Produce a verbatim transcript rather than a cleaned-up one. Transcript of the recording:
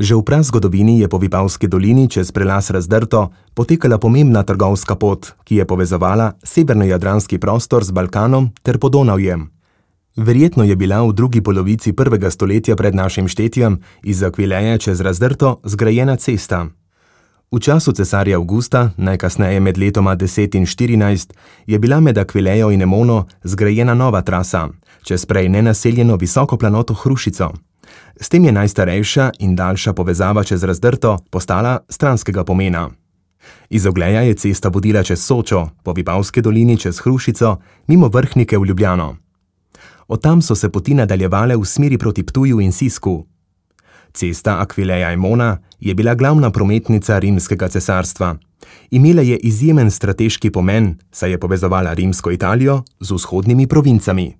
Že v prazgodovini je po Vipavski dolini čez prelaz Razdrto potekala pomembna trgovska pot, ki je povezovala severnojadranski prostor z Balkanom ter Podonavjem. Verjetno je bila v drugi polovici prvega stoletja pred našim štetjem iz Akvileje čez Razdrto zgrajena cesta. V času cesarja Avgusta, najkasneje med letoma deset in štirinajst, je bila med Akvilejo in Emono zgrajena nova trasa, čez prej nenaseljeno visoko planoto Hrušico. S tem je najstarejša in daljša povezava čez Razdrto postala stranskega pomena. Iz Ogleja je cesta vodila čez Sočo, po Vipavski dolini čez Hrušico, mimo Vrhnike v Ljubljano. Od tam so se poti nadaljevale v smeri proti Ptuju in Sisku. Cesta Akvileja-Emona je bila glavna prometnica rimskega cesarstva. Imela je izjemen strateški pomen, saj je povezovala rimsko Italijo z vzhodnimi provincami.